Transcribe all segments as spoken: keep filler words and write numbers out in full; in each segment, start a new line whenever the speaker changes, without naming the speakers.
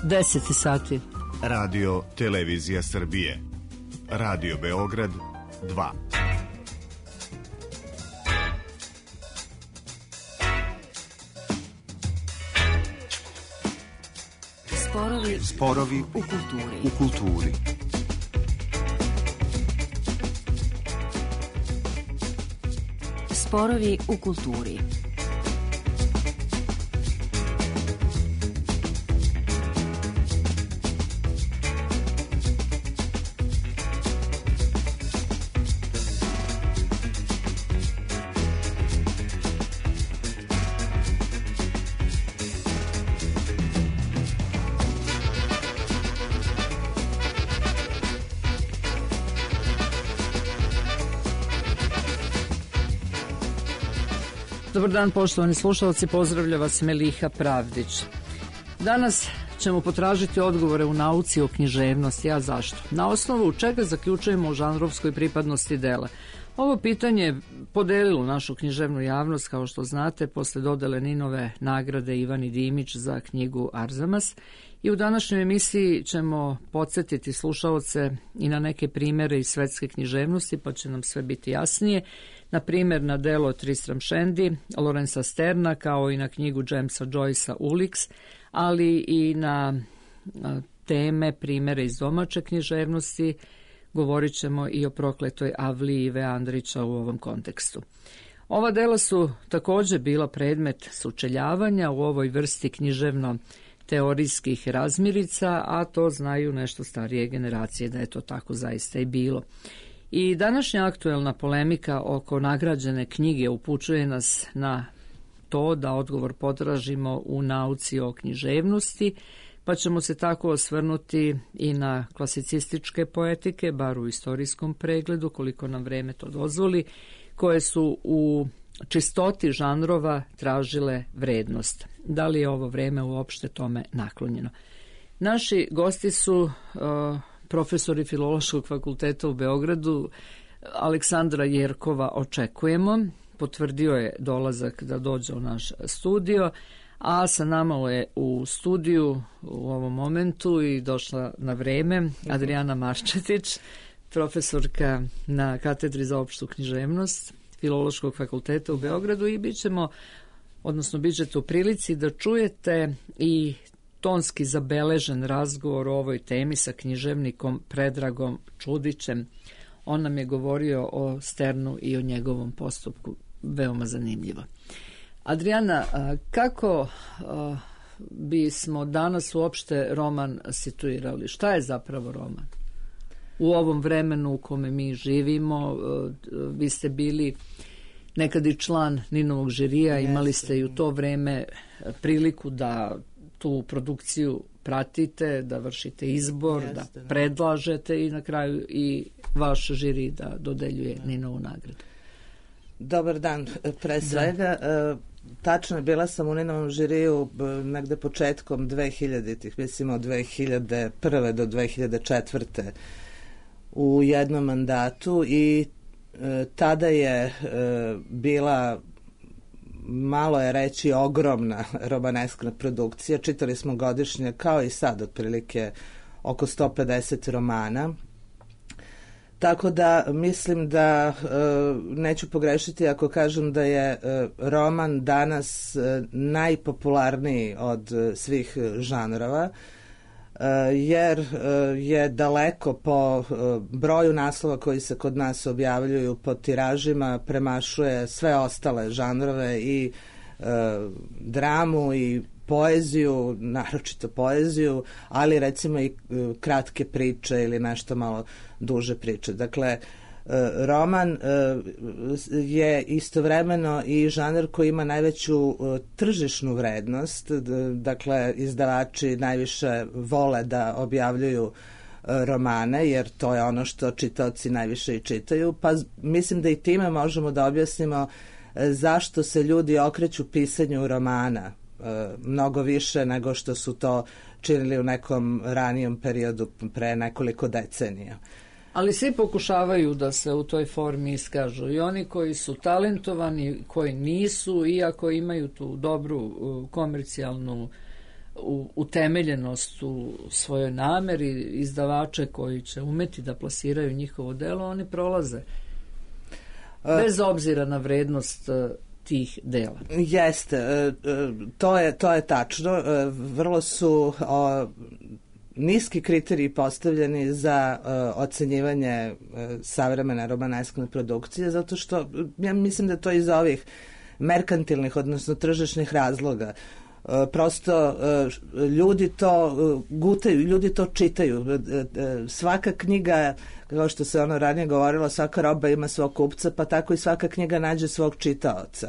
deset sati.
Radio Televizija Srbije. Radio Beograd dva.
Sporovi,
Sporovi
u kulturi.
U kulturi.
Sporovi u kulturi.
Dobar dan, poštovani slušalci, pozdravlja vas Meliha Pravdić. Danas ćemo potražiti odgovore u nauci o književnosti, a zašto? Na osnovu čega zaključujemo o žanrovskoj pripadnosti dela? Ovo pitanje je podelilo našu književnu javnost, kao što znate, posle dodele Ninove nagrade Ivani Dimić za knjigu Arzamas. I u današnjoj emisiji ćemo podsjetiti slušaoce i na neke primere iz svetske književnosti, pa će nam sve biti jasnije. Na primjer na delo Tristram Shandy, Lorenza Sterna, kao i na knjigu Jamesa Joycea Ulix, ali i na teme, primere iz domaće književnosti. Govorit ćemo i o Prokletoj avliji Ive Andrića u ovom kontekstu. Ova dela su također bila predmet sučeljavanja u ovoj vrsti književno-teorijskih razmirica, a to znaju nešto starije generacije da je to tako zaista i bilo. I današnja aktuelna polemika oko nagrađene knjige upućuje nas na to da odgovor potražimo u nauci o književnosti, pa ćemo se tako osvrnuti i na klasicističke poetike, bar u istorijskom pregledu, koliko nam vreme to dozvoli, koje su u čistoti žanrova tražile vrednost. Da li je ovo vreme uopšte tome naklonjeno? Naši gosti su uh, profesori Filološkog fakulteta u Beogradu. Aleksandra Jerkova očekujemo, potvrdio je dolazak da dođe u naš studio, a sa nama je u studiju u ovom momentu i došla na vreme Adrijana Marčetić, profesorka na katedri za opštu književnost Filološkog fakulteta u Beogradu, i bit ćemo, odnosno bit ćete u prilici da čujete i tonski zabeležen razgovor o ovoj temi sa književnikom Predragom Čudićem. On nam je govorio o Sternu i o njegovom postupku, veoma zanimljivo. Adrijana, kako bismo danas uopšte roman situirali? Šta je zapravo roman? U ovom vremenu u kome mi živimo, vi ste bili nekad i član Ninovog žirija, imali ste i u to vreme priliku da tu produkciju pratite, da vršite izbor, Jeste, da predlažete i na kraju i vaš žiri da dodeljuje da. Ninovu nagradu.
Dobar dan, pre svega. Da. Tačno je, bila sam u Ninovom žiriju negde početkom dvehiljaditih, mislim od dve hiljade prve do dve hiljade četvrte u jednom mandatu i e, tada je e, bila, malo je reći, ogromna romaneskna produkcija. Čitali smo godišnje, kao i sad, otprilike oko sto pedeset romana. Tako da mislim da e, neću pogrešiti ako kažem da je e, roman danas e, najpopularniji od e, svih žanrova, e, jer e, je daleko po e, broju naslova koji se kod nas objavljuju, po tiražima, premašuje sve ostale žanrove i e, dramu i poeziju, naročito poeziju, ali recimo i kratke priče ili nešto malo duže priče. Dakle, roman je istovremeno i žanr koji ima najveću tržišnu vrednost. Dakle, izdavači najviše vole da objavljuju romane, jer to je ono što čitaoci najviše i čitaju, pa mislim da i time možemo da objasnimo zašto se ljudi okreću pisanju romana mnogo više nego što su to činili u nekom ranijem periodu pre nekoliko decenija.
Ali svi pokušavaju da se u toj formi iskažu, i oni koji su talentovani, koji nisu, iako imaju tu dobru komercijalnu u, utemeljenost u svojoj nameri, izdavače koji će umeti da plasiraju njihovo delo, oni prolaze. Bez obzira na vrednost tih dela.
Jeste, to je, to je tačno. Vrlo su o, niski kriteriji postavljeni za o, ocenjivanje savremene romaneskne produkcije, zato što ja mislim da to iz ovih merkantilnih, odnosno tržišnih razloga. Prosto ljudi to gutaju, ljudi to čitaju. Svaka knjiga, kao što se ono ranije govorilo, svaka roba ima svog kupca, pa tako i svaka knjiga nađe svog čitaoca.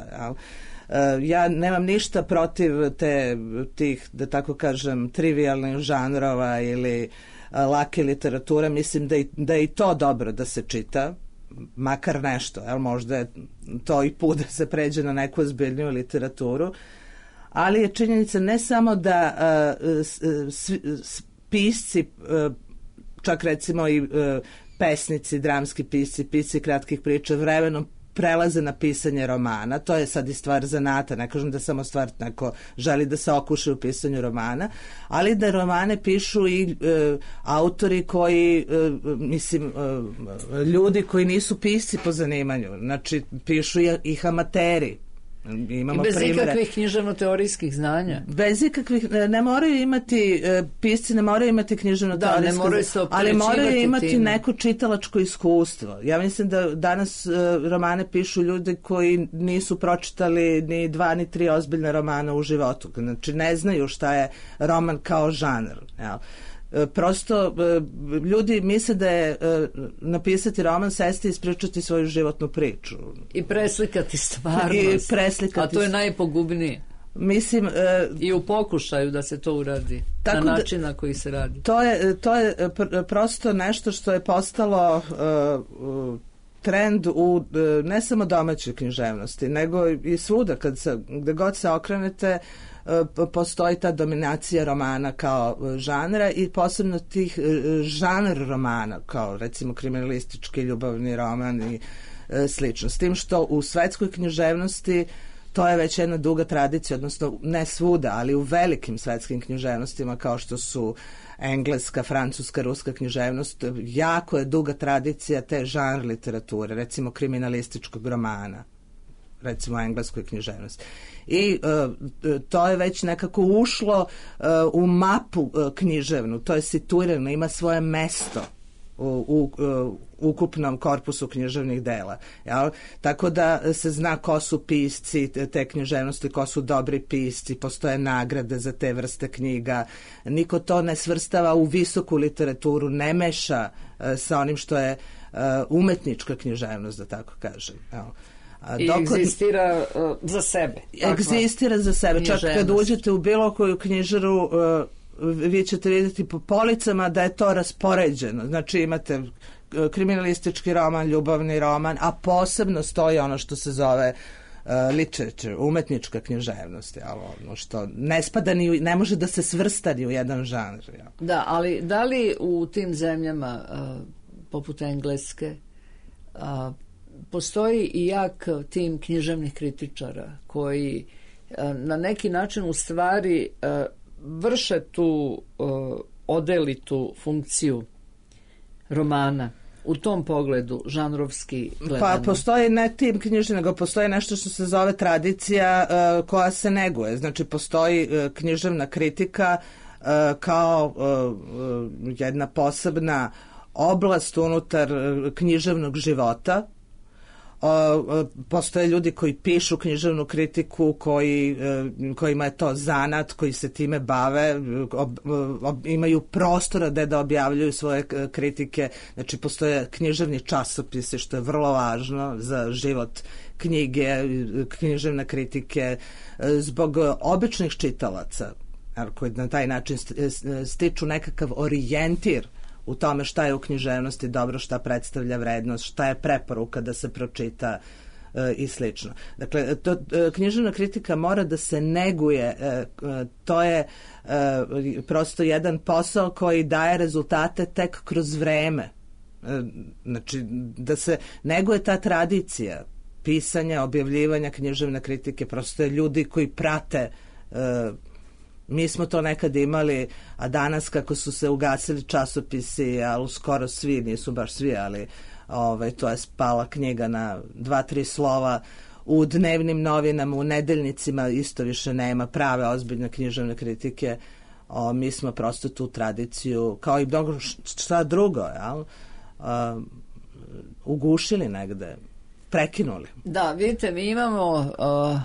Ja nemam ništa protiv te, tih, da tako kažem, trivialnih žanrova ili lake literature. Mislim da, i, da je i to dobro da se čita, makar nešto. Jel? Možda je to i put da se pređe na neku ozbiljniju literaturu. Ali je činjenica ne samo da uh, s, s, pisci, uh, čak recimo i uh, pesnici, dramski pisci, pisci kratkih priča vremenom prelaze na pisanje romana. To je sad i stvar zanata, ne kažem da samo stvar neko želi da se okuše u pisanju romana, ali da romane pišu i uh, autori koji, uh, mislim, uh, ljudi koji nisu pisci po zanimanju, znači pišu i, ih amateri. Imamo
I bez
primere.
ikakvih književno-teorijskih znanja.
Bez ikakvih, ne moraju imati, pisci ne moraju imati književno-teorijske,
da, ne moraju se
ali moraju imati
time.
neko čitalačko iskustvo. Ja mislim da danas romane pišu ljudi koji nisu pročitali ni dva ni tri ozbiljne romana u životu. Znači ne znaju šta je roman kao žanr. Jel? Prosto ljudi misle da je napisati roman, sesti i ispričati svoju životnu priču.
I preslikati stvarnost.
I preslikati.
A to je najpogubnije.
Mislim, uh,
i u pokušaju da se to uradi na način na koji se radi.
To je, to je pr- prosto nešto što je postalo uh, trend u uh, ne samo domaćoj književnosti, nego i svuda, kad se, gde god se okrenete, uh, postoji ta dominacija romana kao uh, žanra i posebno tih uh, žanr romana, kao recimo kriminalistički ljubavni roman i uh, slično. S tim što u svetskoj književnosti to je već jedna duga tradicija, odnosno ne svuda, ali u velikim svetskim književnostima kao što su engleska, francuska, ruska književnost, jako je duga tradicija te žanr literature, recimo kriminalističkog romana, recimo engleskoj književnosti. I uh, to je već nekako ušlo uh, u mapu uh, književnu, to je situirano, ima svoje mesto u, u, u ukupnom korpusu književnih dela. Jel? Tako da se zna ko su pisci te književnosti, ko su dobri pisci, postoje nagrade za te vrste knjiga. Niko to ne svrstava u visoku literaturu, ne meša uh, sa onim što je uh, umetnička književnost, da tako kažem. Jel?
A I dok egzistira uh, za sebe.
Egzistira za sebe. Čak kad uđete u bilo koju knjižaru, uh, vi ćete vidjeti po policama da je to raspoređeno. Znači imate kriminalistički roman, ljubavni roman, a posebno stoji ono što se zove uh, literature, umetnička književnost, jel, ono što ne spada ni, ne može da se svrsta ni u jedan žanr. Jel.
Da, ali da li u tim zemljama uh, poput Engleske uh, postoji i jak tim književnih kritičara koji uh, na neki način u stvari uh, vrše tu uh, odelitu funkciju romana u tom pogledu žanrovski gledano?
Pa postoji ne tim knjižni, nego postoji nešto što se zove tradicija uh, koja se neguje. Znači postoji uh, književna kritika uh, kao uh, jedna posebna oblast unutar uh, književnog života. Uh, postoje ljudi koji pišu književnu kritiku, koji, uh, kojima je to zanat, koji se time bave, ob, ob, imaju prostora da da objavljuju svoje kritike. Znači postoje književni časopisi, što je vrlo važno za život knjige, književne kritike, zbog običnih čitalaca koji na taj način stiču nekakav orijentir u tome šta je u književnosti dobro, šta predstavlja vrednost, šta je preporuka da se pročita e, i slično. Dakle, to, e, književna kritika mora da se neguje, e, to je e, prosto jedan posao koji daje rezultate tek kroz vreme. E, znači, da se neguje ta tradicija pisanja, objavljivanja književne kritike, prosto je ljudi koji prate e, Mi smo to nekad imali, a danas kako su se ugasili časopisi, ali skoro svi, nisu baš svi, ali ovaj, to je spala knjiga na dva, tri slova. U dnevnim novinama, u nedeljnicima isto više nema prave ozbiljne književne kritike. O, mi smo prosto tu tradiciju, kao i mnogo šta drugo, jel? O, ugušili negde, prekinuli.
Da, vidite, mi imamo uh,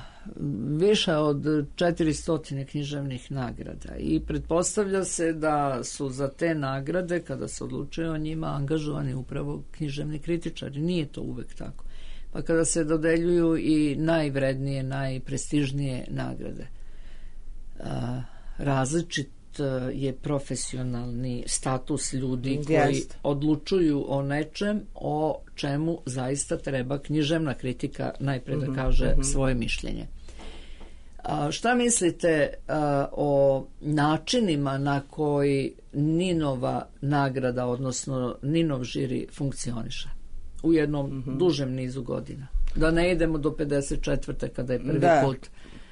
više od četiristo književnih nagrada i pretpostavlja se da su za te nagrade, kada se odlučuje o njima, angažovani upravo književni kritičari. Nije to uvek tako. Pa kada se dodeljuju i najvrednije, najprestižnije nagrade, uh, različit je profesionalni status ljudi koji
Jest.
odlučuju o nečem o čemu zaista treba književna kritika najpre da kaže mm-hmm. svoje mišljenje. A, šta mislite a, o načinima na koji Ninova nagrada, odnosno Ninov žiri funkcioniše u jednom mm-hmm. dužem nizu godina? Da ne idemo do pedeset četvrte kada je prvi
da.
put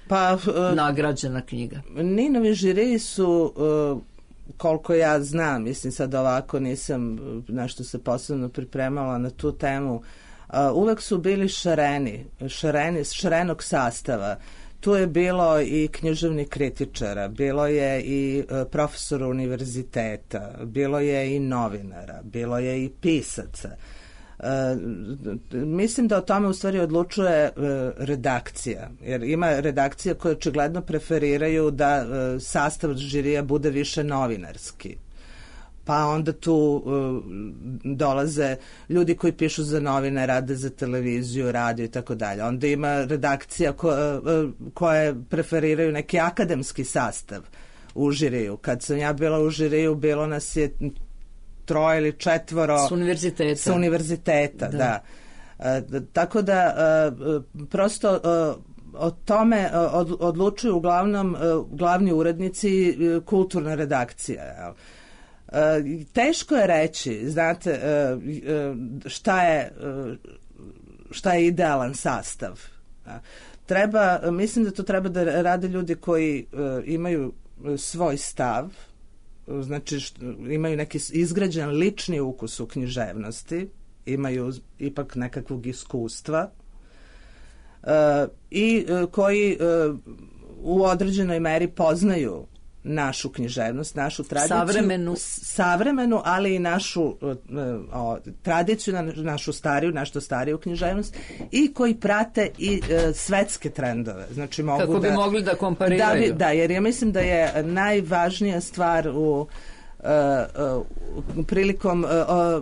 Pa, uh,
nagrađena knjiga.
Ninovi žiri su, uh, koliko ja znam, mislim sad ovako nisam nešto se posebno pripremala na tu temu, uh, uvek su bili šareni, šareni, šarenog sastava. Tu je bilo i književnih kritičara, bilo je i uh, profesora univerziteta, bilo je i novinara, bilo je i pisaca. Uh, mislim da o tome u stvari odlučuje uh, redakcija, jer ima redakcija koje očigledno preferiraju da uh, sastav žirija bude više novinarski, pa onda tu uh, dolaze ljudi koji pišu za novine, rade za televiziju, radio i tako dalje. Onda ima redakcija ko, uh, koje preferiraju neki akademski sastav u žiriju. Kad sam ja bila u žiriju, bilo nas je troje ili četvoro
s univerziteta,
sa univerziteta da. Da. E, tako da e, prosto e, o tome od, odlučuju uglavnom e, glavni urednici e, kulturna redakcija. Jel? E, teško je reći, znate, e, šta je šta je idealan sastav. Treba, mislim da to treba da rade ljudi koji e, imaju svoj stav, znači što, imaju neki izgrađen lični ukus u književnosti, imaju ipak nekakvog iskustva uh, i uh, koji uh, u određenoj meri poznaju našu književnost, našu tradiciju,
savremenu,
savremenu ali i našu uh, uh, tradiciju, našu stariju, našu stariju književnost i koji prate i uh, svetske trendove. Znači mogu
kako bi
da,
mogli da kompariraju.
Da, bi, da, jer ja mislim da je najvažnija stvar u Uh, uh, prilikom uh,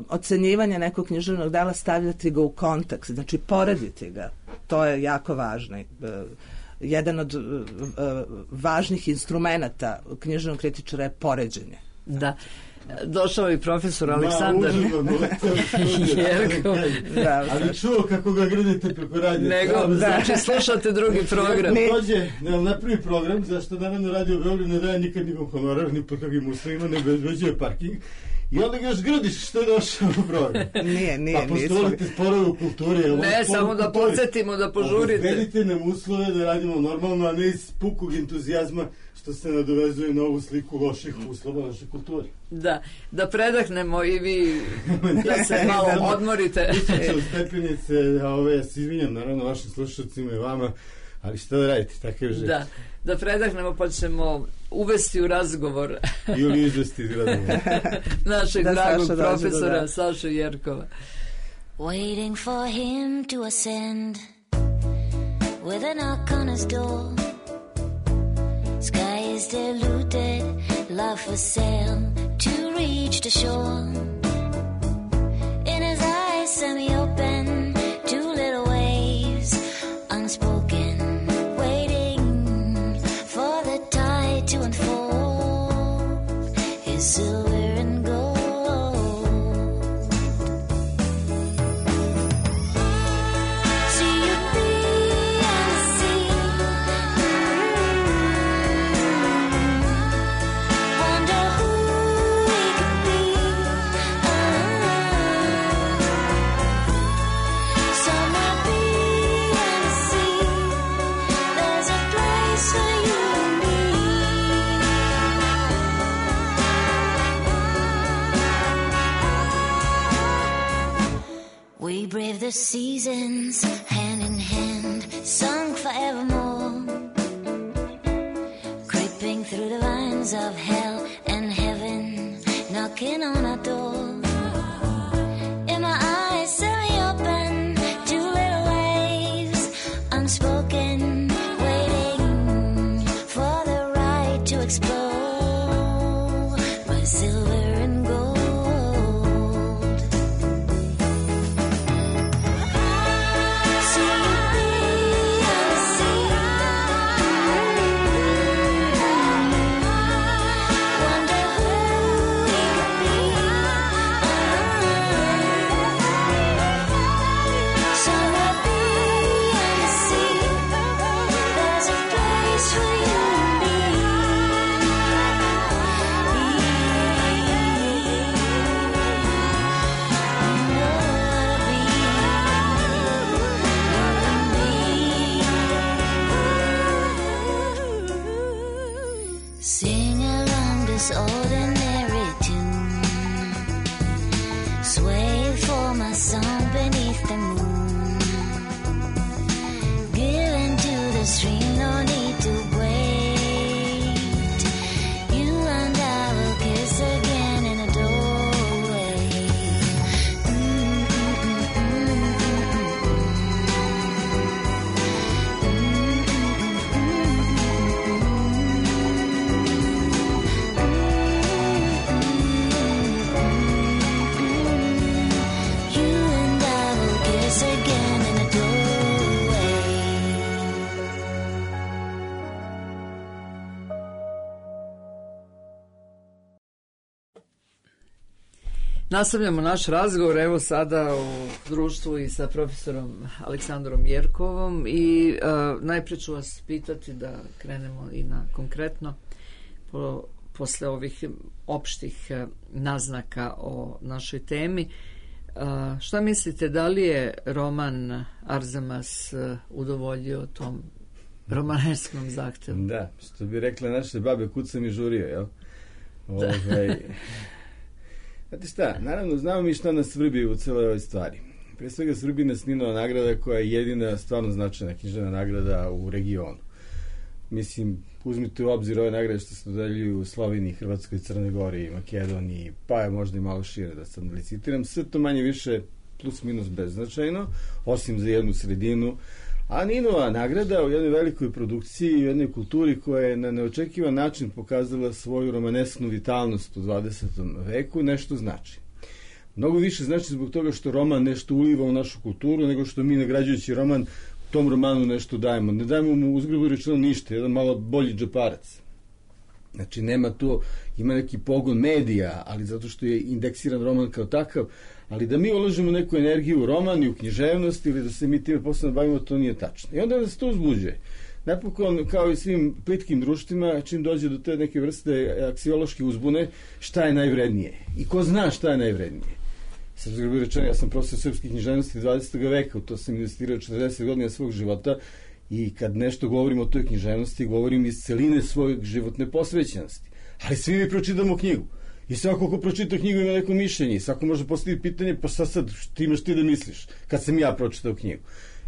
ocenjivanja nekog književnog dela stavljati ga u kontekst, znači porediti ga. To je jako važno. Uh, jedan od uh, uh, važnih instrumenata književnog kritičara je poređenje.
Da. Došao i profesor Aleksandar Jerkov.
Da, ali čuo kako ga grdite preko radija.
Nego, da. Znači slušate drugi program.
Dođe na prvi program, zašto naravno Radio Beograd ne daje nikad nikom honorar, ni pod kakvim uslovima, ne bezbeđuje parking. I onda ga još gradiš što je došao u program.
Nije, nije.
Pa postolite sporove u kulturi.
Ne, samo da podsjetimo, da požurite.
Obezbedite nam uslove da radimo normalno, a ne iz pukog entuzijazma što se nadovezuje na ovu sliku loših uslova naše kulture.
Da, da predahnemo i vi da se malo odmorite.
Ispričam stepenice, a ove, ja se izvinjam naravno vašim slušalcima i vama, ali šta da radite, takav je život.
Da, da predahnemo pa ćemo uvesti u razgovor
ili izvesti iz razgovora
našeg
da,
dragog
Saša
profesora
da.
Sašu Jerkova.
Waiting for him to ascend with a knock on his door. Sky is diluted, love for sale to reach the shore. In his eyes semi-open, two little waves unspoken, waiting for the tide to unfold his silver and gold. See you beyond the sea. Wonder who we could be. Somewhere beyond the sea, there's a place for you and me. seasons, hand in hand, sung forevermore, creeping through the vines of hell and heaven, knocking on our door. In my eyes, semi-open, two little waves, unspoken, waiting for the right to explode my silver and gold. Ordinary tune, sway for my song beneath the moon, give into the stream, no need to wait, you and I will kiss again in a doorway.
Nastavljamo naš razgovor, evo sada u društvu i sa profesorom Aleksandrom Jerkovom i uh, najprije ću vas pitati da krenemo i na konkretno po, posle ovih opštih uh, naznaka o našoj temi. Uh, šta mislite, da li je roman Arzamas uh, udovoljio tom romanerskom zahtevu?
Da, što bi rekla naše babe, kud sam i žurio, jel? Ovaj... Znate šta, naravno znamo mi šta nas vrbi u celoj ovoj stvari. Pre svega vrbi nas Ninova nagrada koja je jedina stvarno značajna književna nagrada u regionu. Mislim, uzmite u obzir ove nagrade što se dodeljuju u Sloveniji, Hrvatskoj, Crnoj Gori, Makedoniji, pa je možda i malo šire da sad ne licitiram. Sve to manje više plus minus beznačajno, osim za jednu sredinu. A Ninova nagrada u jednoj velikoj produkciji i u jednoj kulturi koja je na neočekivan način pokazala svoju romanesknu vitalnost u dvadesetom veku nešto znači. Mnogo više znači zbog toga što roman nešto uliva u našu kulturu nego što mi nagrađujući roman tom romanu nešto dajemo. Ne dajemo mu uzgrubo rečeno ništa, jedan malo bolji džeparac. Znači nema to, ima neki pogon medija, ali zato što je indeksiran roman kao takav, ali da mi uložimo neku energiju u roman i u književnost ili da se mi time posebno bavimo, to nije tačno. I onda nas to uzbuđuje. Napokon, kao i svim plitkim društvima, čim dođe do te neke vrste aksiološke uzbune, šta je najvrednije? I ko zna šta je najvrednije? Sad zgrbi rečeno, ja sam profesor srpske književnosti dvadesetog veka, u to sam investirao četrdeset godina svog života i kad nešto govorim o toj književnosti, govorim iz celine svoje životne posvećenosti. Ali svi mi pročitamo knjigu. I svako ko pročita knjigu ima neko mišljenje i svako može postaviti pitanje, pa sad sad ti imaš ti da misliš kad sam ja pročitao knjigu.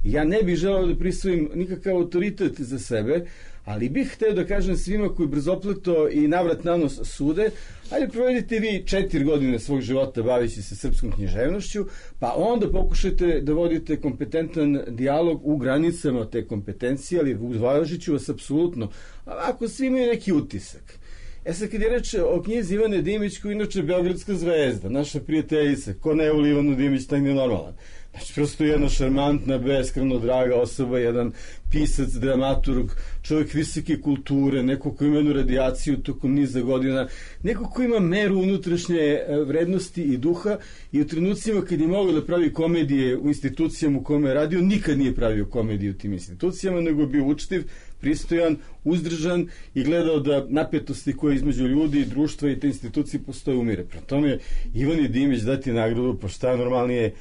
Ja ne bih želeo da prisvojim nikakav autoritet za sebe, ali bih hteo da kažem svima koji brzopleto i navrat na nos sude, ajde provedite vi četiri godine svog života bavići se srpskom književnošću, pa onda pokušajte da vodite kompetentan dijalog u granicama te kompetencije, ali uvažit ću vas apsolutno, ako svi imaju neki utisak. E sad kad je reč o knjizi Ivane Dimić, koja je inače Beogradska zvezda, naša prijateljica, ko ne voli Ivanu Dimić, taj nije normalan. Znači, prosto jedna šarmantna, beskreno draga osoba, jedan pisac, dramaturg, čovjek visoke kulture, neko ko ima jednu radijaciju tokom niza godina, neko ko ima meru unutrašnje vrednosti i duha i u trenucima kad je mogao da pravi komedije u institucijama u kome je radio, nikad nije pravio komedije u tim institucijama, nego je bio učtiv, pristojan, uzdržan i gledao da napetosti koje između ljudi i društva i te institucije postoje umire. Prema tome, Ivani Dimić dati nagradu, pa šta normalnije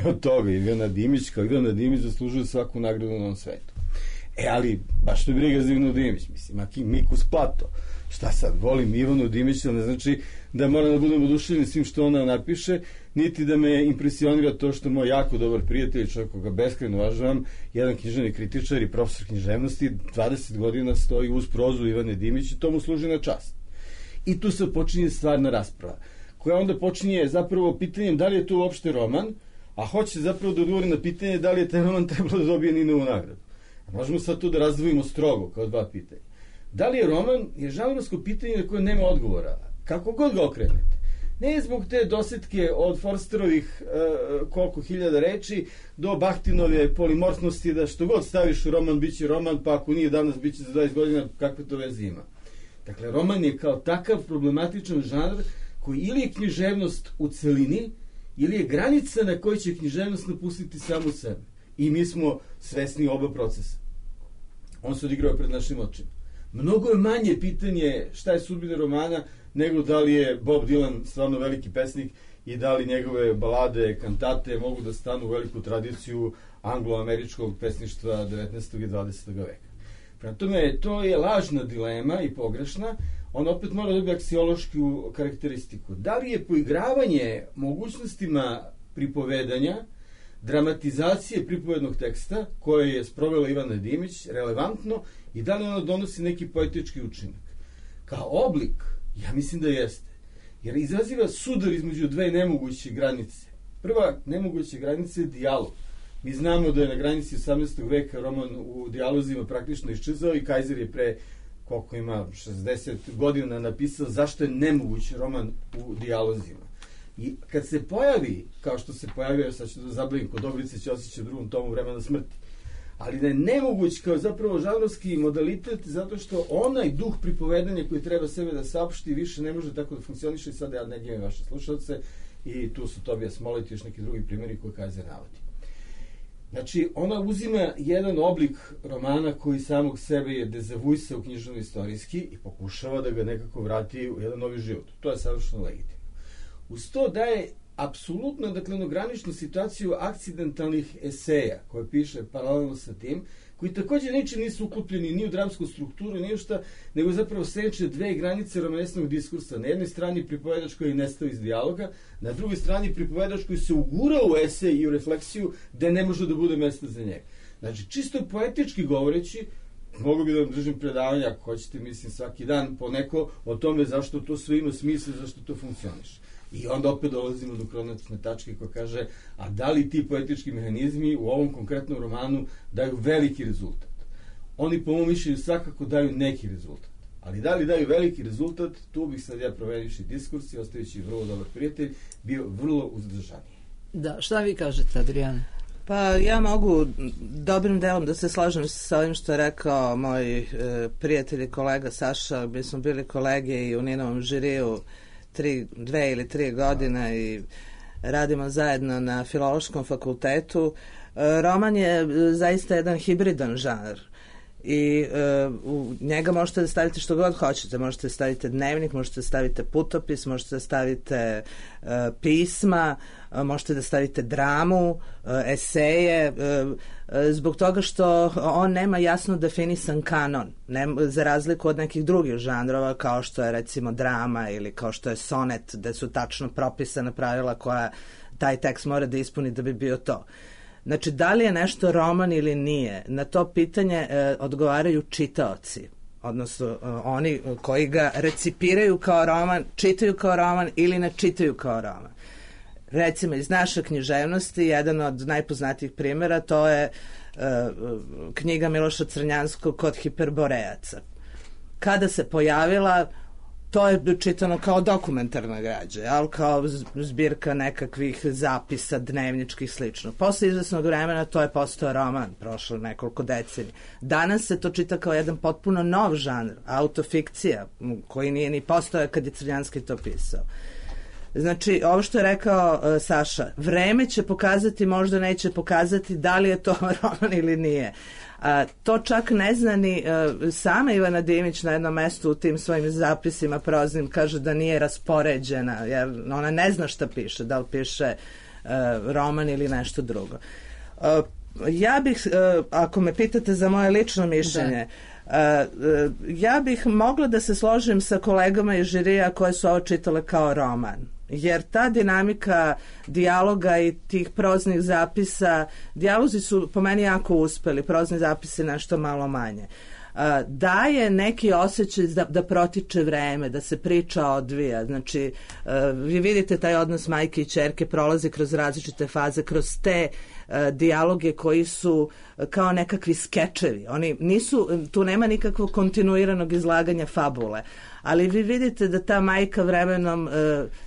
od toga. Ivana Dimić, kao Ivana Dimić, zaslužuje svaku nagradu na ovom svetu. E, ali, baš to je briga za Ivanu Dimić, mislim, Mikus Plato. Šta sad, volim Ivanu Dimić, ne znači da moram da budem oduševljen svim što ona napiše, niti da me impresionira to što moj jako dobar prijatelj, čovjek koga beskrajno uvažavam, jedan književni kritičar i profesor književnosti, dvadeset godina stoji uz prozu Ivane Dimić i to mu služi na čast. I tu se počinje stvarna rasprava, koja onda počinje zapravo pitanjem da li je to uopšte roman, a hoće zapravo da odgovori na pitanje da li je taj roman trebalo da dobije Ninovu nagradu. A možemo sad to da razdvojimo strogo kao dva pitanja. Da li je roman je žanrovsko pitanje na koje nema odgovora, kako god ga okrenete. Ne zbog te dosetke od Forsterovih uh, koliko hiljada reči do Bahtinove polimorfnosti da što god staviš u roman bit će roman, pa ako nije danas bit će za dvadeset godina, kakve to veze ima. Dakle, roman je kao takav problematičan žanr koji ili je književnost u celini, ili je granica na kojoj će književnost napustiti samu sebe. I mi smo svesni oba procesa. On se odigrao pred našim očima. Mnogo je manje pitanje šta je sudbina romana nego da li je Bob Dylan stvarno veliki pesnik i da li njegove balade, kantate mogu da stanu u veliku tradiciju anglo-američkog pesništva devetnaestog i dvadesetog veka. Prema tome, to je lažna dilema i pogrešna. On opet mora dobiti aksiološku karakteristiku. Da li je poigravanje mogućnostima pripovedanja, dramatizacije pripovednog teksta koje je sprovela Ivana Dimić relevantno i da li ono donosi neki poetički učinak? Kao oblik, ja mislim da jeste. Jer izaziva sudar između dve nemoguće granice. Prva nemoguća granica je dijalog. Mi znamo da je na granici osamnaestog veka roman u dijalozima praktično iščezao i Kaiser je pre koliko ima šezdeset godina napisao zašto je nemoguć roman u dijalozima. I kad se pojavi, kao što se pojavio, sad ću da zabavim kod Dobrice Ćosića u drugom tomu Vremena smrti, ali da je nemoguć kao zapravo žanrovski modalitet zato što onaj duh pripovedanja koji treba sebe da saopšti više ne može tako da funkcioniše i sad ja ne gledam vaše slušalce i tu su Tobija Smolet i još neki drugi primjeri koje Kaiser navodi. Znači, ona uzima jedan oblik romana koji samog sebe je dezavuisao književno-istorijski i pokušava da ga nekako vrati u jedan novi život. To je savršeno legitimno. Uz to daje apsolutno, dakle, graničnu situaciju akcidentalnih eseja koje piše paralelno sa tim, koji također ničim nisu uklopljeni ni u dramsku strukturu, ni u šta, nego zapravo sreće dve granice romanesnog diskursa. Na jednoj strani pripovedač koji je nestao iz dijaloga, na drugoj strani pripovedač koji se ugurao u esej i u refleksiju gde ne može da bude mesta za njega. Znači, čisto poetički govoreći, mogu bi da vam držim predavanja, ako hoćete, mislim, svaki dan po neko o tome zašto to sve ima smisla, zašto to funkcioniše. I onda opet dolazimo do kronatne tačke koja kaže, a da li ti poetički mehanizmi u ovom konkretnom romanu daju veliki rezultat? Oni po mom mišljenju svakako daju neki rezultat. Ali da li daju veliki rezultat, tu bih sad ja provedivši diskurs i ostavići vrlo dobar prijatelj, bio vrlo uzdržaniji.
Da, šta vi kažete, Adrijan?
Pa ja mogu dobrim delom da se slažem sa ovim što je rekao moj e, prijatelj i kolega Saša. Mi smo bili kolege i u Ninovom žiriju tri, dve ili tri godine i radimo zajedno na Filološkom fakultetu. E, roman je zaista jedan hibridan žanr i e, u njega možete da stavite što god hoćete. Možete da stavite dnevnik, možete da stavite putopis, možete da stavite e, pisma, e, možete da stavite dramu, e, eseje, e, e, zbog toga što on nema jasno definisan kanon, ne, za razliku od nekih drugih žanrova kao što je recimo drama ili kao što je sonet, gde su tačno propisana pravila koja taj tekst mora da ispuni da bi bio to. Znači, da li je nešto roman ili nije, na to pitanje e, odgovaraju čitaoci, odnosno e, oni koji ga recipiraju kao roman, čitaju kao roman ili ne čitaju kao roman. Recimo, iz naše književnosti, jedan od najpoznatijih primjera, to je e, knjiga Miloša Crnjanskog Kod hiperborejaca. Kada se pojavila, to je čitano kao dokumentarna građa, ali kao zbirka nekakvih zapisa, dnevničkih, slično. Posle izvesnog vremena to je postao roman, prošlo nekoliko decenija. Danas se to čita kao jedan potpuno nov žanr, autofikcija, koji nije ni postao kad je Crnjanski to pisao. Znači, ovo što je rekao uh, Saša, vreme će pokazati, možda neće pokazati da li je to roman ili nije. A, to čak ne zna ni uh, sama Ivana Dimić na jednom mestu u tim svojim zapisima proznim kaže da nije raspoređena, jer ona ne zna šta piše, da li piše uh, roman ili nešto drugo. Uh, ja bih, uh, ako me pitate za moje lično mišljenje, ja bih mogla da se složim sa kolegama iz žirija koje su ovo čitale kao roman. Jer ta dinamika dijaloga i tih proznih zapisa, dijalozi su po meni jako uspeli, prozni zapisi nešto malo manje. Daje neki osjećaj da, da protiče vreme, da se priča odvija. Znači, vi vidite taj odnos majke i ćerke prolazi kroz različite faze, kroz te dijaloge koji su kao nekakvi skečevi. Oni nisu, tu nema nikakvog kontinuiranog izlaganja fabule. Ali vi vidite da ta majka vremenom uh,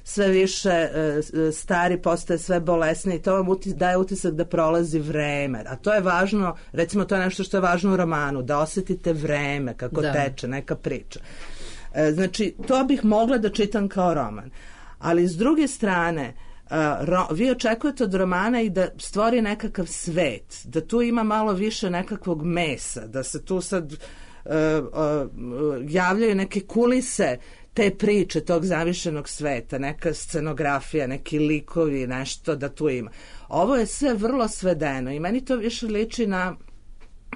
sve više uh, stari, postaje sve bolesniji i to vam utis, daje utisak da prolazi vreme. A to je važno, recimo to je nešto što je važno u romanu, da osjetite vreme kako da. teče, neka priča. Uh, znači, to bih mogla da čitam kao roman. Ali s druge strane, Uh, ro, vi očekujete od romana i da stvori nekakav svet, da tu ima malo više nekakvog mesa, da se tu sad uh, uh, javljaju neke kulise te priče tog zavišenog sveta, neka scenografija, neki likovi, nešto da tu ima. Ovo je sve vrlo svedeno i meni to više liči na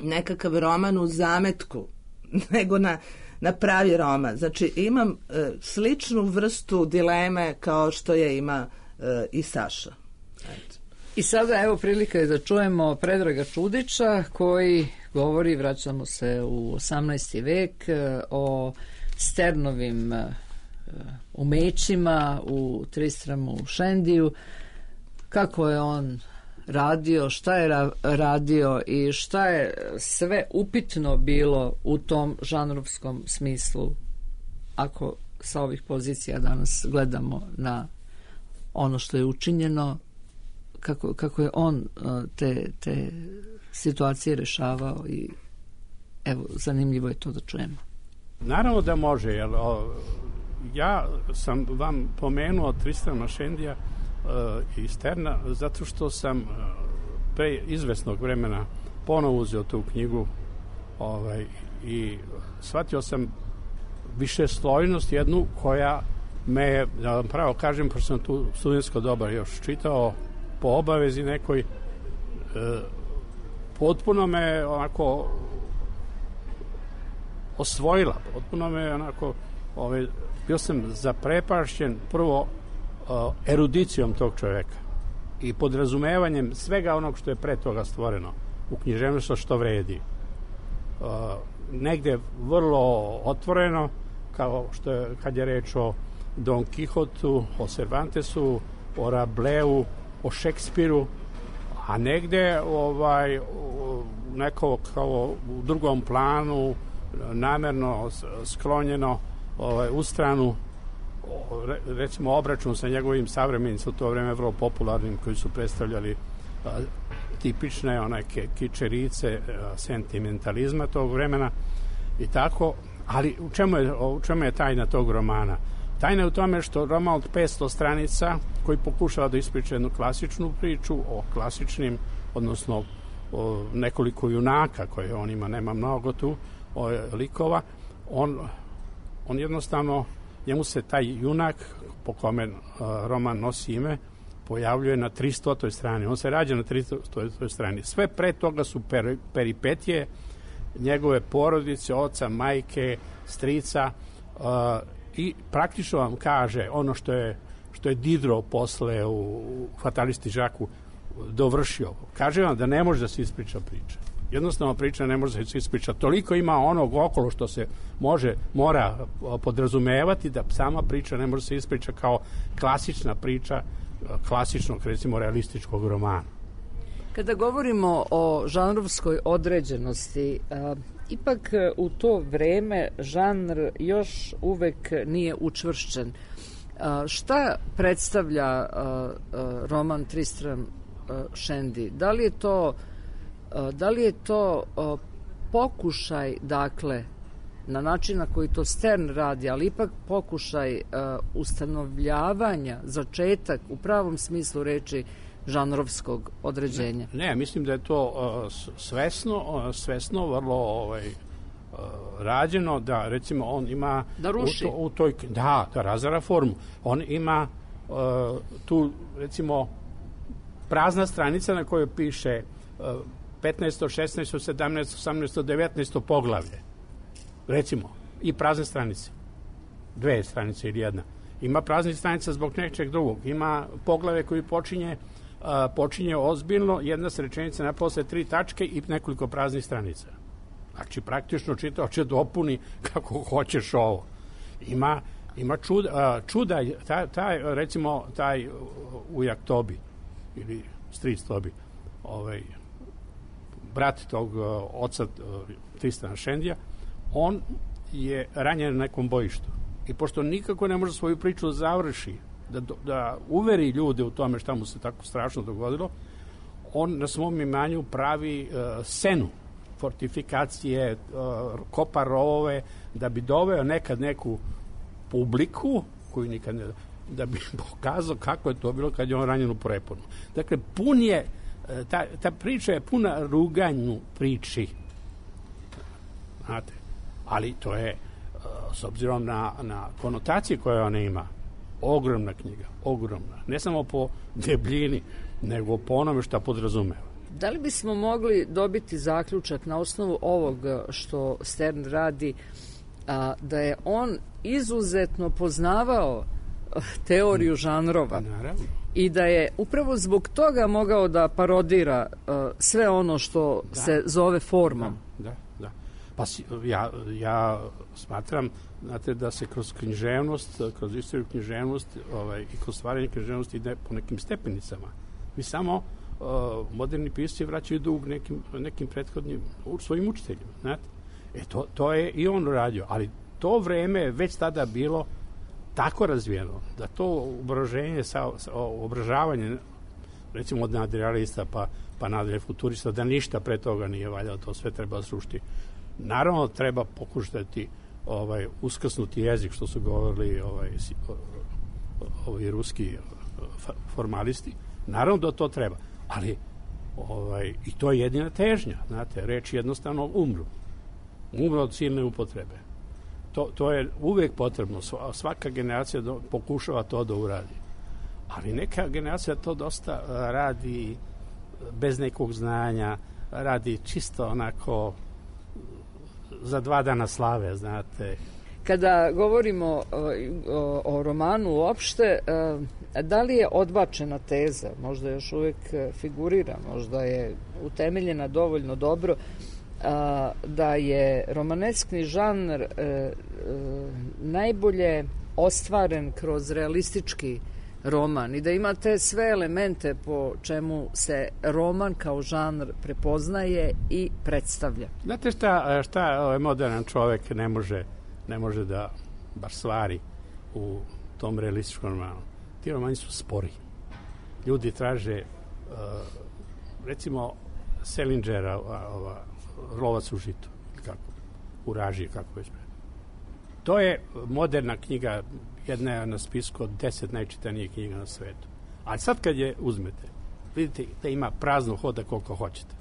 nekakav roman u zametku nego na, na pravi roman. Znači imam uh, sličnu vrstu dileme kao što je ima i Saša. Eto.
I sada evo prilika je da čujemo Predraga Čudića koji govori, vraćamo se u osamnaesti vek, o Sternovim umećima u Tristramu Shendiju, kako je on radio, šta je ra- radio i šta je sve upitno bilo u tom žanrovskom smislu, ako sa ovih pozicija danas gledamo na ono što je učinjeno, kako, kako je on te, te situacije rešavao i evo, zanimljivo je to da čujemo.
Naravno da može, jer o, ja sam vam pomenuo Tristrama Shendija uh, i Sterna zato što sam uh, pre izvesnog vremena ponovo uzeo tu knjigu ovaj, i shvatio sam višeslojnost jednu koja me, da vam pravo kažem, pošto sam tu studentsko doba još čitao po obavezi nekoj, e, potpuno me onako osvojila, potpuno me onako, ovaj, bio sam zaprepašćen prvo e, erudicijom tog čoveka i podrazumevanjem svega onog što je pre toga stvoreno u književnosti što vredi. E, negde vrlo otvoreno, kao što je, kad je reč o Don Kihotu, o Cervantesu, o Rableu, o Šekspiru, a negde ovaj, neko kao u drugom planu, namerno sklonjeno ovaj, u stranu, recimo obračun sa njegovim savremenicima u to vreme vrlo popularnim, koji su predstavljali a, tipične onake kičerice a, sentimentalizma tog vremena i tako. Ali u čemu je, u čemu je tajna tog romana? Tajna je u tome što roman od petsto stranica koji pokušava da ispriča jednu klasičnu priču o klasičnim, odnosno o nekoliko junaka koje on ima, nema mnogo tu o, likova, on, on jednostavno, njemu se taj junak po kome uh, roman nosi ime pojavljuje na tristotoj strani. On se rađa na tristotoj strani. Sve pre toga su per, peripetije njegove porodice, oca, majke, strica, uh, i praktično vam kaže ono što je, što je Diderot posle u, u Fatalisti Žaku dovršio. Kaže vam da ne može da se ispriča priča. Jednostavno priča ne može da se ispriča. Toliko ima onog okolo što se može, mora podrazumevati da sama priča ne može se ispriča kao klasična priča klasičnog, recimo, realističkog romana.
Kada govorimo o žanrovskoj određenosti, a, ipak u to vreme žanr još uvek nije učvršćen. A, šta predstavlja a, a, roman Tristram Shandy? Da li je to, a, da li je to a, pokušaj, dakle, na način na koji to Stern radi, ali ipak pokušaj a, ustanovljavanja, začetak u pravom smislu reči žanrovskog određenja?
Ne, ne, mislim da je to uh, svesno, uh, svesno vrlo ovaj, uh, rađeno, da recimo on ima
da ruši.
U, to, u toj, da, da razara formu. On ima uh, tu recimo prazna stranica na kojoj piše uh, petnaesto, šesnaesto, sedamnaesto, osamnaesto, devetnaesto poglavlje. recimo, i prazne stranice. Dve stranice ili jedna. Ima praznih stranica zbog nečeg drugog. Ima poglave koji počinje, uh, počinje ozbiljno, jedna se rečenica na posle tri tačke i nekoliko praznih stranica. Znači, praktično čitaoče dopuni kako hoćeš ovo. Ima, ima čuda, uh, čuda taj, taj, recimo, taj ujak Tobi, ili stric Tobi, ovaj, brat tog uh, oca uh, Tristana Šendija, on je ranjen na nekom bojištu. I pošto nikako ne može svoju priču da završi, da, da uveri ljude u tome šta mu se tako strašno dogodilo, on na svom imanju pravi uh, senu, fortifikacije, uh, kopa rovove, da bi doveo nekad neku publiku, koju nikad ne... da bi pokazao kako je to bilo kad je on ranjen u preponu. Dakle, pun je, ta, ta priča je puna ruganju priči. Znate, ali to je, s obzirom na, na konotacije koje ona ima, ogromna knjiga, ogromna. Ne samo po debljini, nego po onome što podrazumeva.
Da li bismo mogli dobiti zaključak na osnovu ovog što Stern radi, a, da je on izuzetno poznavao teoriju žanrova.
Naravno.
I da je upravo zbog toga mogao da parodira uh, sve ono što da. se zove formom.
Da, da, da. Pa si, ja, ja smatram, znate, da se kroz književnost, kroz istoriju književnost ovaj, i kroz stvaranje književnosti ide po nekim stepenicama. Mi samo uh, moderni pisci vraćaju dug nekim, nekim prethodnim svojim učiteljima. Znate? E, to, to je i on radio, ali to vreme je već tada bilo tako razvijeno, da to obraženje, sa, sa, obražavanje, recimo od nadrealista pa, pa nadalje futurista, da ništa pre toga nije valjalo, to sve treba srušiti. Naravno, treba pokušati ovaj, uskrsnuti jezik, što su govorili ovaj, ovi ruski formalisti. Naravno da to treba, ali ovaj, i to je jedina težnja, znate, reči jednostavno umru. Umru od silne upotrebe. To, to je uvek potrebno. Svaka generacija do, pokušava to da uradi. Ali neka generacija to dosta radi bez nekog znanja, radi čisto onako za dva dana slave, znate.
Kada govorimo o, o, o romanu uopšte, da li je odbačena teza, možda još uvek figurira, možda je utemeljena dovoljno dobro, a, da je romaneskni žanr e, e, najbolje ostvaren kroz realistički roman i da imate sve elemente po čemu se roman kao žanr prepoznaje i predstavlja.
Znate šta, šta ovaj moderan čovek ne može, ne može da baš stvari u tom realističkom romanu? Ti romani su spori. Ljudi traže uh, recimo Selingera, ova Lovac u žitu, kako, u Raži, kako već. To je moderna knjiga, jedna je na spisku od deset najčitanijih knjiga na svetu. Ali sad kad je uzmete, vidite da ima prazno hoda koliko hoćete.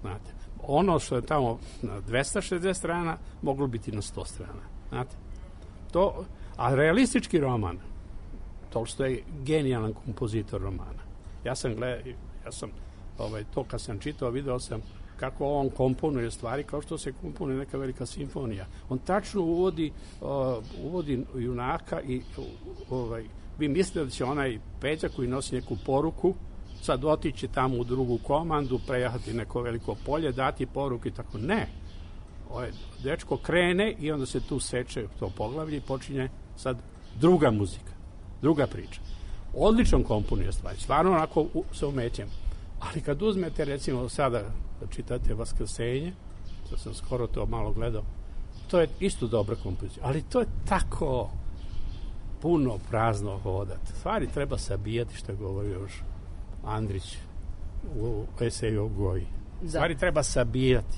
Znate, ono što je tamo na dvesta šezdeset strana, moglo biti na sto strana. Znate, to, a realistički roman, Tolstoj je genijalan kompozitor romana. Ja sam gledao, ja sam, ovaj, to kad sam čitao, video sam kako on komponuje stvari kao što se komponuje neka velika simfonija. On tačno uvodi, uh, uvodi junaka i uh, ovaj, vi mislite da će onaj Peđa koji nosi neku poruku sad otići tamo u drugu komandu, prejahati neko veliko polje, dati poruku i tako. Ne. Ovaj dečko krene i onda se tu seče to poglavlje i počinje sad druga muzika, druga priča. Odličan komponuje stvari, stvarno onako u, sa umećem. Ali kad uzmete, recimo, sada da čitate Vaskrsenje, što sam skoro to malo gledao, to je isto dobra kompozicija, ali to je tako puno prazno hodat. Stvari treba sabijati, što je govorio još Andrić u eseju o Goji. Stvari da. treba sabijati.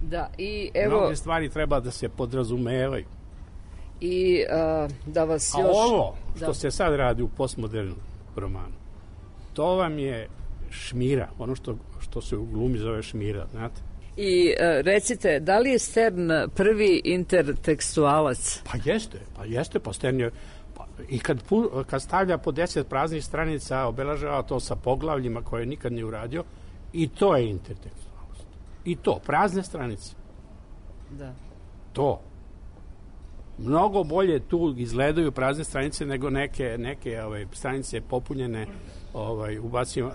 Da, i evo...
Mnoge stvari treba da se podrazumevaju.
I uh, da vas
A
još...
A ovo što
da.
se sad radi u postmodernom romanu, to vam je šmira, ono što, što se u glumi zove šmira, znate.
I uh, recite, da li je Stern prvi intertekstualac?
Pa jeste, pa jeste, pa Stern je... Pa, i kad, pu, kad stavlja po deset praznih stranica, obelažava to sa poglavljima koje nikad nije uradio, i to je intertekstualnost. I to, prazne stranice.
Da.
To. mnogo bolje tu izgledaju prazne stranice nego neke, neke ove, stranice popunjene ovaj, ubacimo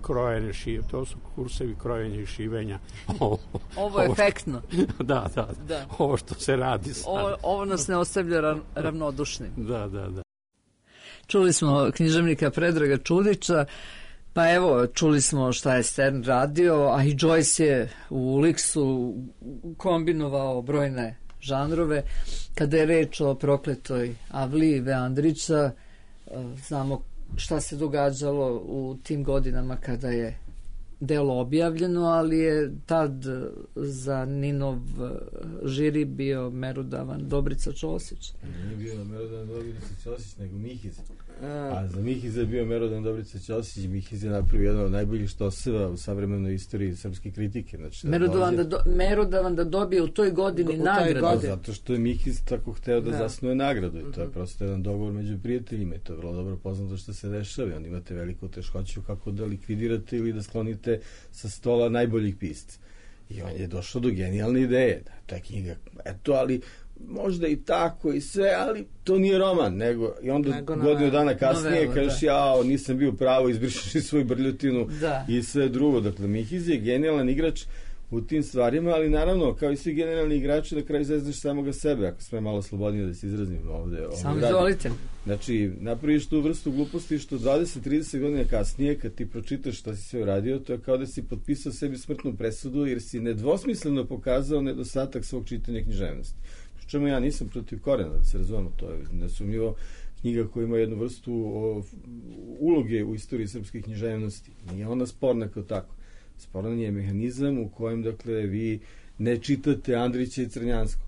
krojene šive, to su kursevi krojenja i šivenja.
Ovo, ovo je efektno.
Da, da, da, ovo što se radi sad.
Ovo, ovo nas ne ostavlja ra, ravnodušnim.
Da, da, da.
Čuli smo književnika Predraga Čudića, pa evo, čuli smo šta je Stern radio, a i Joyce je u Uliksu kombinovao brojne žanrove. Kada je reč o prokletoj Avli Ive Andrića, znamo šta se događalo u tim godinama kada je delo objavljeno, ali je tad za Ninov žiri bio merodavan Dobrica Ćosić.
Nije bio merodavan Dobrica Ćosić, nego Mihiz. A za Mihiz je bio merodavan Dobrica Ćosić. Mihiz je napravio jedan od najboljih štoseva u savremenoj istoriji srpske kritike. Znači,
merodavan, da do, merodavan da dobije u toj godini u nagradu.
Godini. Zato što je Mihiz tako hteo da, da. zasnuje nagradu. I to je prosto jedan dogovor među prijateljima. I to je vrlo dobro poznato što se dešava. Onda imate veliku teškoću kako da likvidirate ili da sklonite sa stola najboljih pisca. I on je došao do genijalne ideje. Da, ta knjiga, eto, ali možda i tako i sve, ali to nije roman, nego i onda nego godinu dana kasnije novela, kažeš da. ja, nisam bio pravo, izbrišeš svoju brljotinu da. i sve drugo. Dakle, Mihiz je genijalan igrač u tim stvarima, ali naravno, kao i svi generalni igrači, na kraju zezneš samoga sebe, ako sme malo slobodnije da se izrazim ovde.
Samo izvolite.
Znači, napraviš tu vrstu gluposti što dvadeset trideset godina kasnije, kad ti pročitaš šta si sve uradio, to je kao da si potpisao sebi smrtnu presudu, jer si nedvosmisleno pokazao nedostatak svog čitanja književnosti. Pri čemu ja nisam protiv Korena, da se razumemo, to je nesumnjivo knjiga koja ima jednu vrstu o, uloge u istoriji srpske književnosti. Nije ona sporna kao tako. Sporan je mehanizam u kojem, dakle, vi ne čitate Andrića i Crnjanskog.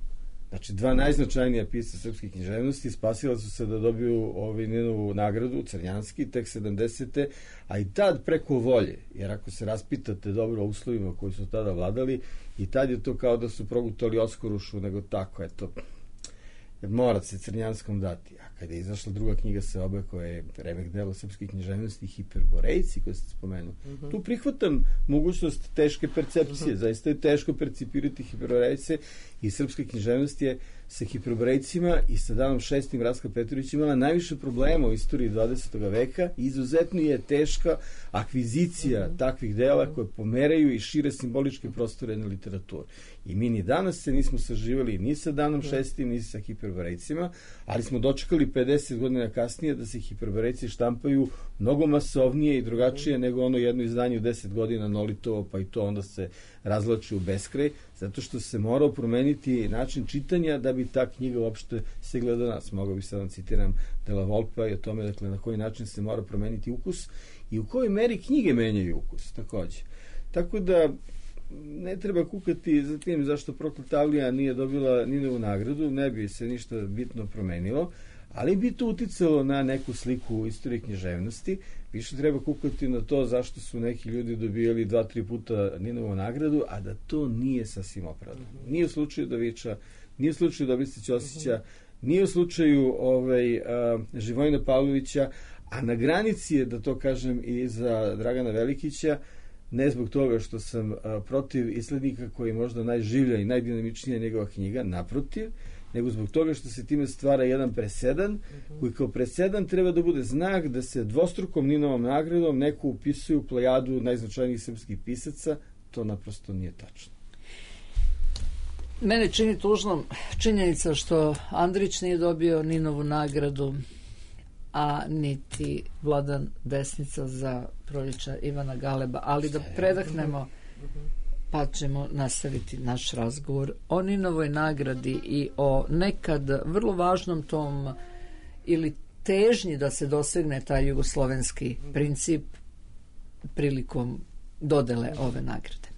Znači, dva najznačajnija pisca srpske književnosti spasila su se da dobiju ovaj Ninovu nagradu, Crnjanski, tek sedamdesete, a i tad preko volje, jer ako se raspitate dobro o uslovima koji su tada vladali, i tad je to kao da su progutali Oskorušu, nego tako, eto, mora se Crnjanskom dati. A kada je izašla druga knjiga Seobe, koja je remek delo srpske književnosti, Hiperborejci, koje ste spomenuo, uh-huh. tu prihvatam mogućnost teške percepcije. Uh-huh. Zaista je teško percipirati Hiperborejce i srpska književnost je sa Hiperborejcima i sa Danom šestim Raska Petrović imala najviše problema u istoriji dvadesetog veka. Izuzetno je teška akvizicija uh-huh. takvih dela koje pomeraju i šire simboličke prostore na literaturu. I mi ni danas se nismo saživali ni sa Danom šestim, ni sa Hiperborejcima, ali smo dočekali pedeset godina kasnije da se Hiperborejci štampaju mnogo masovnije i drugačije nego ono jedno izdanje u deset godina Nolitovo, pa i to onda se razlači u beskraj, zato što se morao promeniti način čitanja da bi ta knjiga uopšte stigla do nas. Mogao bi sad vam citiram Della Volpa i o tome, dakle, na koji način se mora promeniti ukus i u kojoj meri knjige menjaju ukus, takođe. Tako da ne treba kukati za tim zašto Prokleta Avlija nije dobila Ninovu nagradu, ne bi se ništa bitno promenilo, ali bi to uticalo na neku sliku u istoriji književnosti. Više treba kukati na to zašto su neki ljudi dobijali dva, tri puta Ninovu nagradu, a da to nije sasvim opravdano. Nije u slučaju Davića, nije u slučaju Dobrice Ćosića, nije u slučaju ovaj, a, Živojina Pavlovića, a na granici je, da to kažem, i za Dragana Velikića, ne zbog toga što sam a, protiv islednika koji je možda najživlja i najdinamičnija njegova knjiga, naprotiv, nego zbog toga što se time stvara jedan presedan, uh-huh. koji kao presedan treba da bude znak da se dvostrukom Ninovom nagradom neko upisuje u plejadu najznačajnijih srpskih pisaca. To naprosto nije tačno.
Mene čini tužnom činjenica što Andrić nije dobio Ninovu nagradu, a niti Vladan Desnica za Proljeća Ivana Galeba, ali da predahnemo, pa ćemo nastaviti naš razgovor o Ninovoj nagradi i o nekad vrlo važnom tom ili težnji da se dosegne taj jugoslovenski princip prilikom dodele ove nagrade.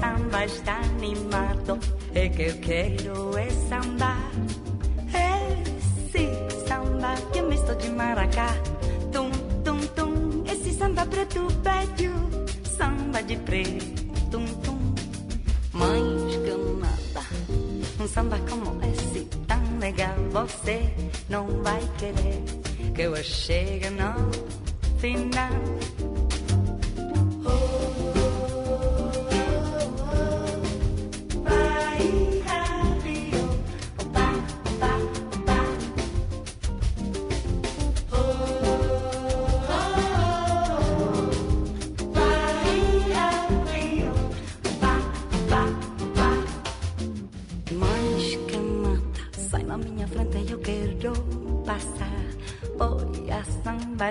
Samba está animado, é que eu quero é samba você não vai querer que eu chegue no final.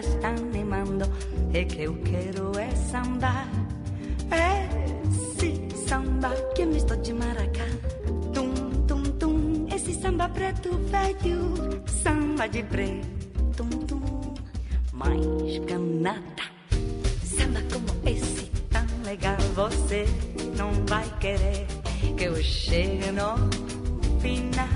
Está animando e que eu quero é samba, esse samba que é misto de maracá, tum tum tum, esse samba preto velho, samba de preto, tum tum, mais canata, samba como esse tão legal, você não vai querer que eu chegue no final.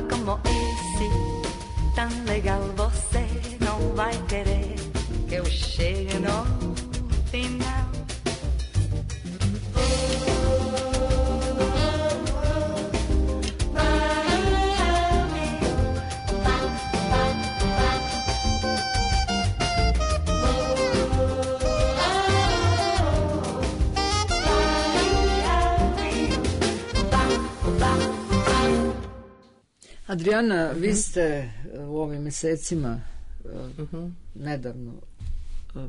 Como esse, tão legal, você não vai querer que eu chegue no final.
Adriana, vi ste u ovim mesecima uh-huh. nedavno uh,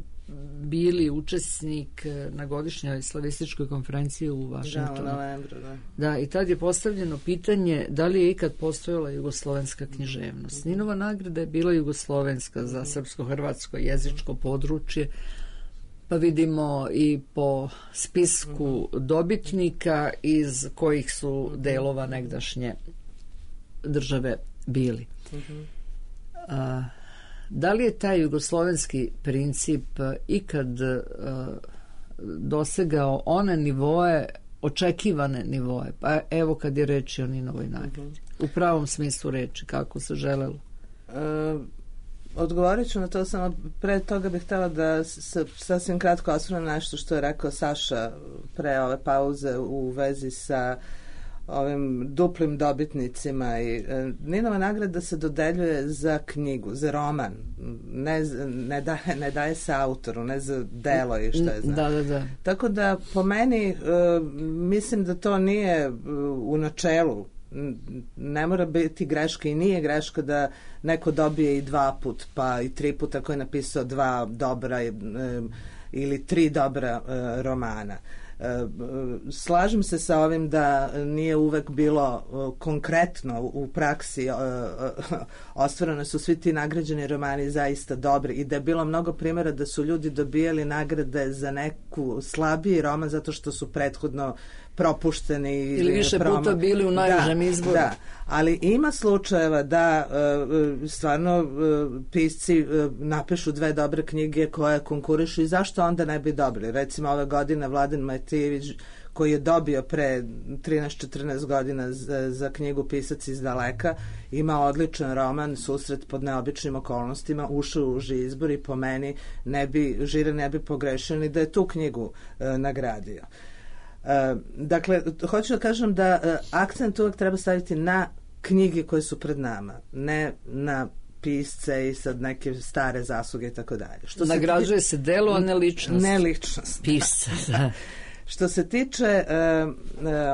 bili učesnik na godišnjoj slavističkoj konferenciji u Vašingtonu.
Da, u novembru, da.
Da, i tad je postavljeno pitanje da li je ikad postojala jugoslovenska književnost. Ninova nagrada je bila jugoslovenska za srpsko-hrvatsko jezičko područje, pa vidimo i po spisku dobitnika iz kojih su delova negdašnje države bili. Uh-huh. A, da li je taj jugoslovenski princip ikad a, dosegao one nivoe, očekivane nivoe? Pa evo kad je reč o Ninovoj nagradi. Uh-huh. U pravom smislu reči, kako se želelo?
Uh, odgovorit ću na to, samo pre toga bih htjela da se sasvim kratko osvrnem na nešto što je rekao Saša pre ove pauze u vezi sa ovim duplim dobitnicima. I e, Ninova nagrada se dodeljuje za knjigu, za roman, ne, ne, daje, ne daje se autoru, ne za delo i što je znam.
Da, da, da.
Tako da po meni e, mislim da to nije u načelu, ne mora biti greška i nije greška da neko dobije i dva put pa i tri puta ako je napisao dva dobra e, ili tri dobra e, romana. Slažem se sa ovim da nije uvek bilo konkretno u praksi ostvareno su svi ti nagrađeni romani zaista dobri i da je bilo mnogo primjera da su ljudi dobijali nagrade za neku slabiji roman zato što su prethodno propušteni
ili više promo... puta bili u najvežem
da,
izboru.
Da, ali ima slučajeva da uh, stvarno uh, pisci uh, napišu dve dobre knjige koje konkurišu i zašto onda ne bi dobili. Recimo ove godine Vladan Matijević koji je dobio pre trinaest četrnaest godina za, za knjigu Pisac iz daleka, ima odličan roman Susret pod neobičnim okolnostima, ušao u uži izbor i po meni ne bi, žire ne bi pogrešio ni da je tu knjigu uh, nagradio. Uh, dakle, hoću da kažem da uh, akcent uvek treba staviti na knjige koje su pred nama, ne na pisce i sad neke stare zasluge i tako dalje.
Nagrađuje se delo, a ne ličnost.
Ne ličnost.
Pisca, da.
Što se tiče uh, uh,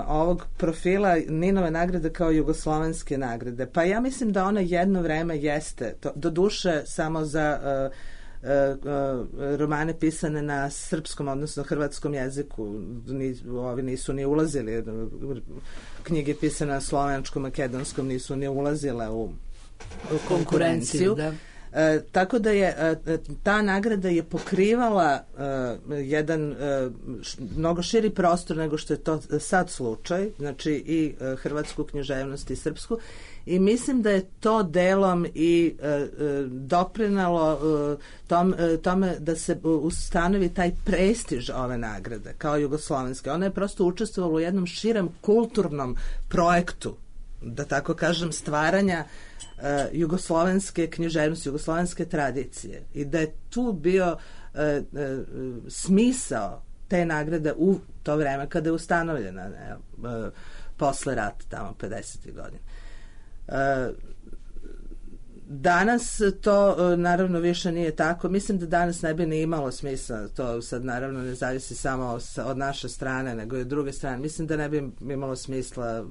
ovog profila Ninove nagrade kao jugoslovenske nagrade, pa ja mislim da ona jedno vreme jeste, to, do duše samo za uh, Uh, uh, romane pisane na srpskom, odnosno hrvatskom jeziku. Ni, ovi nisu ni ulazili, knjige pisane na slovenačkom, makedonskom nisu ni ulazile u konkurenciju.
Da.
E, tako da je e, ta nagrada je pokrivala e, jedan e, š, mnogo širi prostor nego što je to sad slučaj, znači i e, hrvatsku književnost i srpsku, i mislim da je to delom i e, e, doprinalo e, tom, e, tome da se ustanovi taj prestiž ove nagrade kao jugoslovenske. Ona je prosto učestvovala u jednom širem kulturnom projektu, da tako kažem, stvaranja Uh, jugoslovenske književnosti, jugoslovenske tradicije, i da je tu bio uh, uh, smisao te nagrade u to vreme kada je ustanovljena, ne, uh, posle rata, tamo pedesetih godina. Uh, danas to uh, naravno više nije tako. Mislim da danas ne bi ni imalo smisla, to sad naravno ne zavisi samo od naše strane, nego i od druge strane. Mislim da ne bi imalo smisla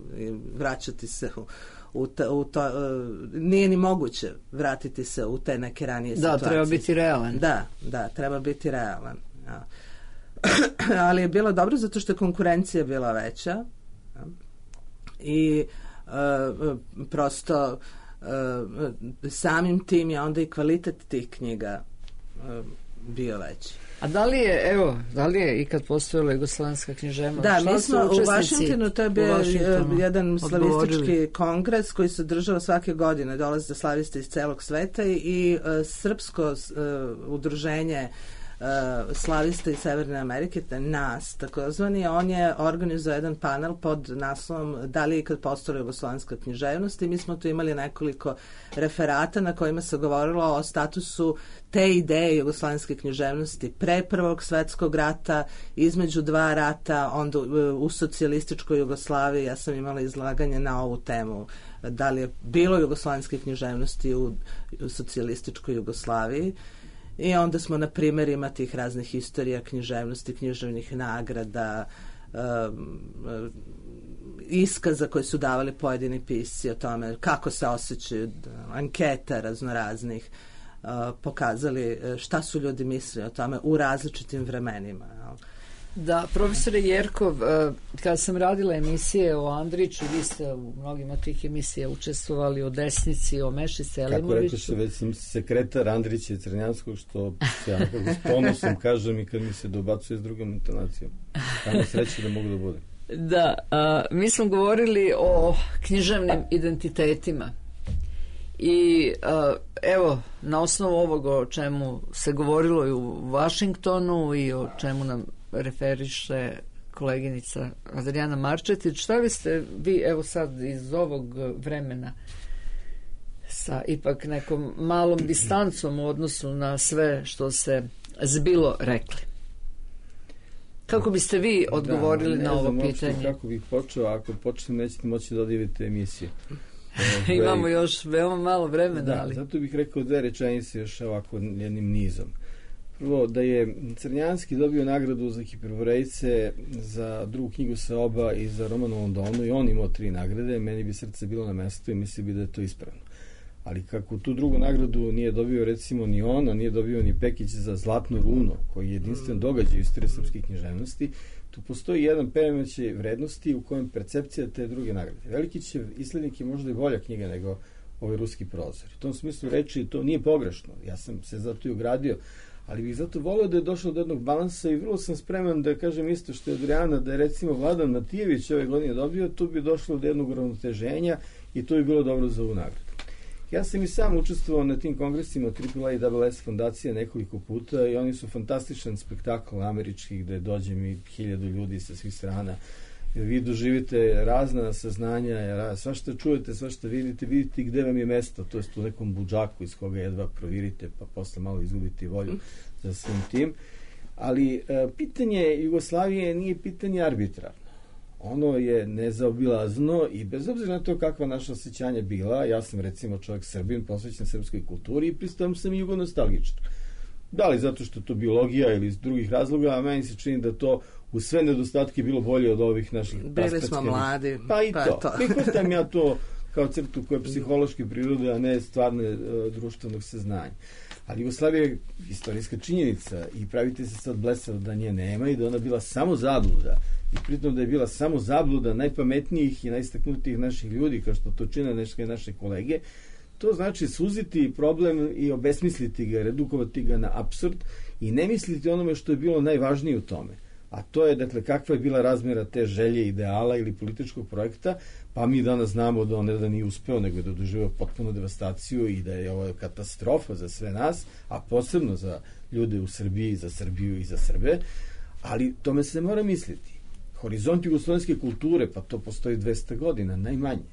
vraćati se u U to, u to, uh, nije ni moguće vratiti se u te neke ranije
da,
situacije.
Da, treba biti realan.
Da, da, treba biti realan. Ja. Ali je bilo dobro zato što je konkurencija bila veća, ja. I uh, prosto uh, samim tim je onda i kvalitet tih knjiga uh, bio veći.
A da li je, evo, da li je ikad postojala jugoslovenska književnost?
Da, mi smo u Vašingtonu, to je bio jedan slavistički kongres koji se održava svake godine, dolaze slaviste iz celog sveta i, i uh, srpsko uh, udruženje uh, slavista iz Severne Amerike, nas takozvani, on je organizovao jedan panel pod naslovom da li je ikad postojala jugoslovenska književnost, i mi smo tu imali nekoliko referata na kojima se govorilo o statusu te ideje jugoslovenske književnosti pre Prvog svetskog rata, između dva rata, onda u socijalističkoj Jugoslaviji. Ja sam imala izlaganje na ovu temu, da li je bilo jugoslovenske književnosti u, u socijalističkoj Jugoslaviji, i onda smo na primjerima tih raznih istorija književnosti, književnih nagrada, um, iskaza koje su davali pojedini pisci o tome kako se osjećaju, anketa raznoraznih, Uh, pokazali šta su ljudi mislili o tome u različitim vremenima.
Da, profesore Jerkov, uh, kada sam radila emisije o Andriću, vi ste u mnogim od tih emisija učestvovali, o Desnici, o Meši Selimoviću.
Kako rekao se, već sam sekretar Andrića i Crnjanskog, što se ja s ponosom kažem i kad mi se dobacuje s drugom intonacijom. Tamo sreće da mogu da budem.
Da, uh, mi smo govorili o književnim identitetima. I uh, evo, na osnovu ovog o čemu se govorilo i u Vašingtonu i o čemu nam referiše koleginica Adrijana Marčetić, šta biste vi, evo sad iz ovog vremena sa ipak nekom malom distancom u odnosu na sve što se zbilo rekli? Kako biste vi odgovorili
da,
na ovo pitanje?
Ne znam kako bih počeo, ako počnem nećete moći da odjavite emisiju.
Ove, imamo još veoma malo vremena.
Da,
ali...
zato bih rekao dve rečenice još ovako jednim nizom. Prvo, da je Crnjanski dobio nagradu za Hiperborejce, za drugu knjigu Seoba i za roman u Londonu, i on imao tri nagrade, meni bi srce bilo na mestu i mislim bi da je to ispravno. Ali kako tu drugu nagradu nije dobio recimo ni on, a nije dobio ni Pekić za Zlatno runo, koji je jedinstven događaj u istoriji srpske književnosti, tu postoji jedan premećaj vrednosti u kojem percepcija te druge nagrade. Velikićev Islednik je možda i bolja knjiga nego ovaj ruski prozor. U tom smislu reči to nije pogrešno. Ja sam se zato i ugradio, ali bih zato volio da je došlo do jednog balansa i vrlo sam spreman da kažem isto što je Adrijana, da je recimo Vladan Matijević ove godine dobio, tu bi došlo do jednog uravnoteženja i to bi bilo dobro za ovu nagradu. Ja sam i sam učestvovao na tim kongresima Triple A i Double S fondacije nekoliko puta i oni su fantastičan spektakl američki gde dođe mi hiljadu ljudi sa svih strana. Vi doživite razna saznanja, svašta čujete, svašta vidite, vidite gde vam je mesto, to je u nekom budžaku iz koga jedva provirite, pa posle malo izgubite volju za svim tim. Ali e, pitanje Jugoslavije nije pitanje arbitrarno. Ono je nezaobilazno i bez obzira na to kakva naša osjećanja bila, ja sam recimo čovjek Srbin, posvećen srpskoj kulturi i pristavam sam i jugonostalgičan. Da li zato što to biologija ili iz drugih razloga, a meni se čini da to u sve nedostatke bilo bolje od ovih naših
bili smo mladi.
Pa i
pa
to.
to.
Prihvatam ja to kao crtu koja je psihološke prirode, a ne stvarne uh, društvenog saznanja. Ali Jugoslavija je istorijska činjenica i pravite se sad blesav da nje nema i da ona bila samo zabluda. I pritom da je bila samo zabluda najpametnijih i najistaknutijih naših ljudi, kao što to čine neke naše kolege, To znači suziti problem i obesmisliti ga, redukovati ga na apsurd i ne misliti onome što je bilo najvažnije u tome. A to je, dakle, kakva je bila razmjera te želje, ideala ili političkog projekta, pa mi danas znamo da on ne da nije uspeo, nego da doživio potpunu devastaciju i da je ovo katastrofa za sve nas, a posebno za ljude u Srbiji, za Srbiju i za Srbe, ali tome se mora misliti. Horizont jugoslovenske kulture, pa to postoji dvesta godina, najmanje.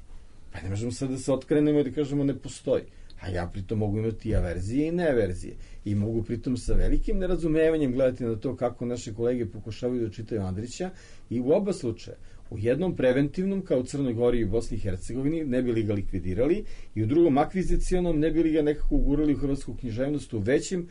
Pa ne možemo sad da se otkrenemo i da kažemo ne postoji. A ja pritom mogu imati i averzije i neaverzije. I mogu pritom sa velikim nerazumevanjem gledati na to kako naše kolege pokušavaju da čitaju Andrića i u oba slučaja. U jednom preventivnom, kao u Crnoj Gori i Bosni i Hercegovini, ne bi li ga likvidirali, i u drugom akvizicionom, ne bi li ga nekako ugurali u hrvatsku književnost u većim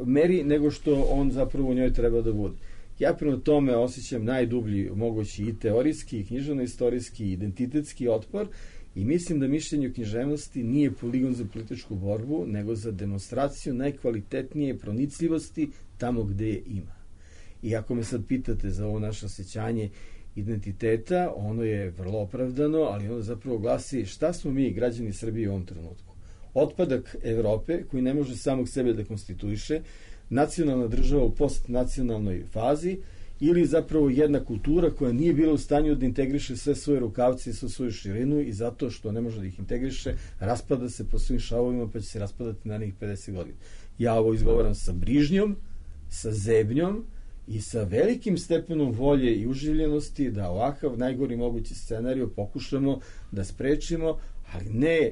meri nego što on zapravo u njoj treba da bude. Ja prema tome osjećam najdublji mogući i teorijski, i književno-istorijski, i identitetski otpor i mislim da mišljenje o književnosti nije poligon za političku borbu, nego za demonstraciju najkvalitetnije pronicljivosti tamo gde je ima. I ako me sad pitate za ovo naše osjećanje identiteta, ono je vrlo opravdano, ali ono zapravo glasi šta smo mi, građani Srbije, u ovom trenutku. Otpadak Evrope, koji ne može samog sebe da konstituiše, nacionalna država u postnacionalnoj fazi, ili zapravo jedna kultura koja nije bila u stanju da integriše sve svoje rukavce i sve svoju širinu i zato što ne može da ih integriše, raspada se po svim šavovima pa će se raspadati narednih pedeset godina. Ja ovo izgovaram sa brižnjom, sa zebnjom i sa velikim stepenom volje i uživljenosti da ovakav najgori mogući scenarij pokušamo da sprečimo, ali ne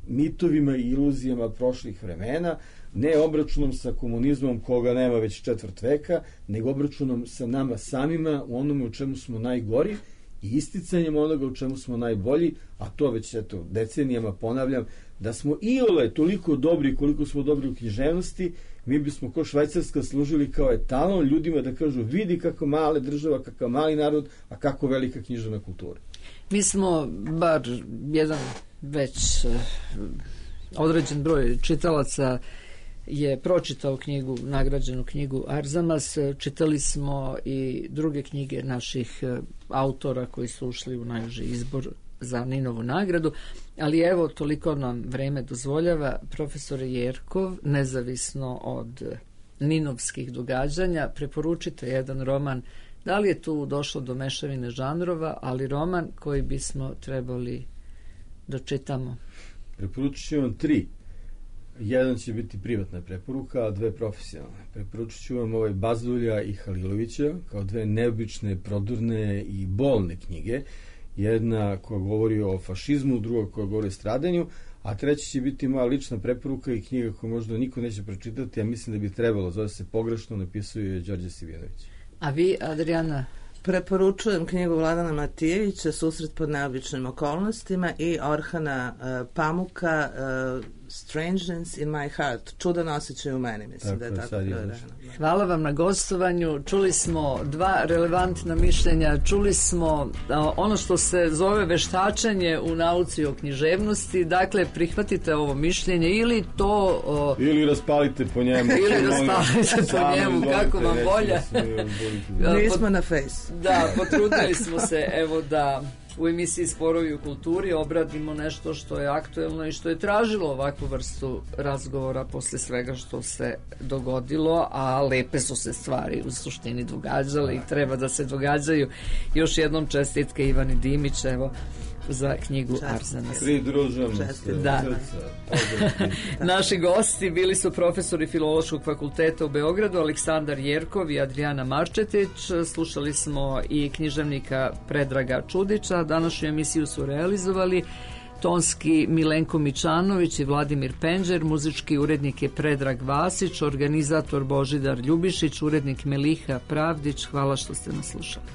mitovima i iluzijama prošlih vremena, ne obračunom sa komunizmom koga nema već četvrt veka, nego obračunom sa nama samima u onome u čemu smo najgori i isticanjem onoga u čemu smo najbolji, a to već eto, decenijama ponavljam, da smo iole toliko dobri koliko smo dobri u književnosti, mi bismo ko Švajcarska služili kao etalon ljudima da kažu vidi kako mala država, kakav mali narod, a kako velika književna kultura.
Mi smo bar jedan već određen broj čitalaca je pročitao knjigu, nagrađenu knjigu Arzamas. Čitali smo i druge knjige naših autora koji su ušli u najuži izbor za Ninovu nagradu, ali evo, toliko nam vreme dozvoljava. Profesor Jerkov, nezavisno od ninovskih događanja, preporučite jedan roman. Da li je tu došlo do mešavine žanrova, ali roman koji bismo trebali da čitamo?
Preporučit ću vam tri. Jedan će biti privatna preporuka, a dve profesionalne. Preporučit ću vam ovaj Bazdulja i Halilovića kao dve neobične, prodorne i bolne knjige. Jedna koja govori o fašizmu, druga koja govori o stradanju, a treća će biti moja lična preporuka i knjiga koju možda niko neće pročitati, a mislim da bi trebalo. Zove se Pogrešno, napisao je Đorđe Sivjanović.
A vi, Adriana?
Preporučujem knjigu Vladana Matijevića Susret pod neobičnim okolnostima i Orhana uh, Pamuka uh, Strangeness in my heart. Čudan osjećaj u meni, mislim tako, da je tako prevedeno.
Hvala vam na gostovanju. Čuli smo dva relevantna mišljenja, čuli smo a, ono što se zove veštačenje u nauci o književnosti. Dakle, prihvatite ovo mišljenje ili to... O,
ili raspalite po njemu.
Ili raspalite po njemu, kako vam volja.
Nismo na face.
Da, potrudili smo se, evo, da u emisiji Sporovi u kulturi obradimo nešto što je aktuelno i što je tražilo ovakvu vrstu razgovora posle svega što se dogodilo, a lepe su se stvari u suštini događale i treba da se događaju. Još jednom čestitke Ivani Dimić, evo, za knjigu Arzamas.
Pridružujem se.
Da. Naši gosti bili su profesori Filološkog fakulteta u Beogradu Aleksandar Jerkov i Adriana Marčetić. Slušali smo i književnika Predraga Čudića. Današnju emisiju su realizovali tonski Milenko Mičanović i Vladimir Penđer, muzički urednik je Predrag Vasić, organizator Božidar Ljubišić, urednik Meliha Pravdić. Hvala što ste nas slušali.